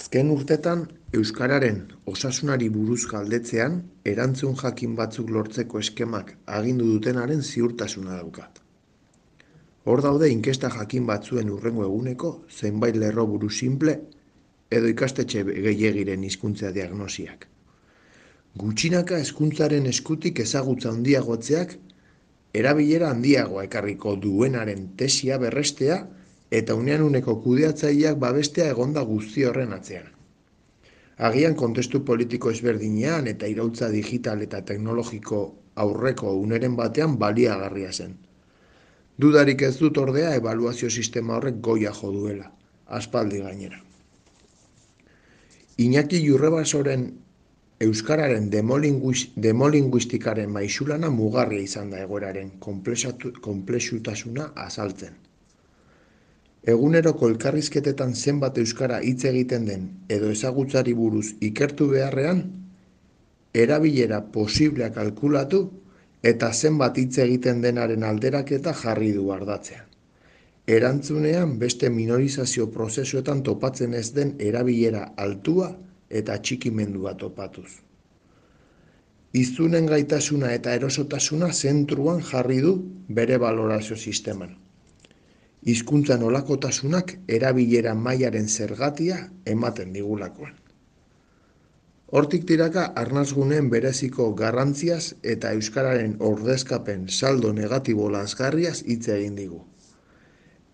Azken urtetan, euskararen osasunari buruz galdetzean, erantzun jakin batzuk lortzeko eskemak agindu dutenaren ziurtasuna daukat. Hor daude inkesta jakin batzuen hurrengo eguneko zenbait lerroburu sinple edo ikastetxe gehiegiren hizkuntza diagnosiak. Gutxinaka hezkuntzaren eskutik ezagutza handiagotzeak erabilera handiagoa ekarriko duenaren tesia berrestea eta unean uneko kudeatzaileak babestea egonda guzti horren atzean. Agian kontestu politiko ezberdinean eta iraultza digital eta teknologiko aurreko uneren batean baliagarria zen. Dudarik ez dut ordea ebaluazio sistema horrek goia jo duela, aspaldi gainera. Iñaki Jurrebasoren euskararen demolinguistikaren maixulana mugarria izan da egoeraren konplexutasuna azaltzen. Eguneroko elkarrizketetan zenbat euskara hitz egiten den edo ezagutzari buruz ikertu beharrean, erabilera posiblea kalkulatu eta zenbat hitz egiten denaren alderaketa jarri du ardatzean. Erantzunean beste minorizazio prozesuetan topatzen ez den erabilera altua eta txikimendua topatuz. Hiztunen gaitasuna eta erosotasuna zentruan jarri du bere balorazio sisteman. Hizkuntza nolakotasunak erabilera mailaren zergatia ematen digulakoan. Hortik tiraka arnasguneen bereziko garrantziaz eta euskararen ordezkapen saldo negatibo lazgarriaz hitz egin digu.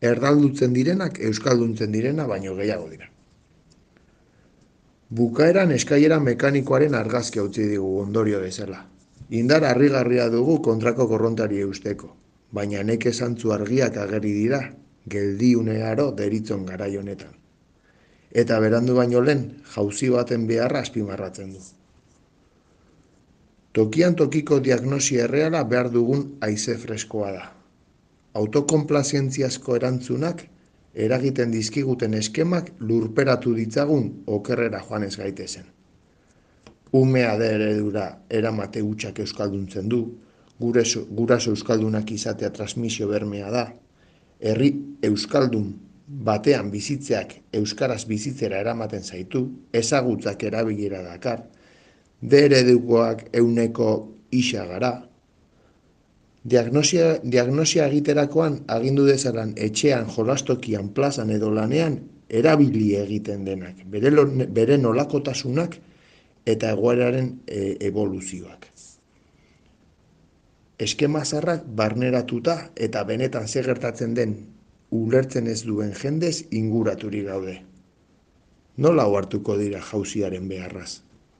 Erdaldutzen direnak euskalduntzen direna baino gehiago dira. Bukaeran eskailera mekanikoaren argazkia utzi digu ondorio bezala. Indar harrigarria dugu kontrako korrontari eusteko, baina neke zantzu argiak ageri dira, geldiunearo deritzon garai honetan. Eta berandu baino lehen, jauzi baten beharra azpimarratzen du. Tokian tokiko diagnosia erreala behar dugun haize freskoa da. Autokonplazientziazko erantzunak eragiten dizkiguten eskemak lurperatu ditzagun okerrera joan ez gaitezen. Umea da eredura eramate hutsak euskalduntzen du, guraso euskaldunak izatea transmisio bermea da, herri euskaldun batean bizitzeak euskaraz bizitzera eramaten zaitu, ezagutzak erabilera dakar, eredukoak euneko isa gara. Diagnosia egiterakoan agindu dezalan etxean, jolastokian, plazan edo lanean erabili egiten denak, bere nolakotasunak eta egoeraren evoluzioak. Eskema zarrak barneratuta eta benetan zer gertatzen den ulertzen ez duen jendez inguraturik gaude. Nola ohartuko dira jauziaren beharraz?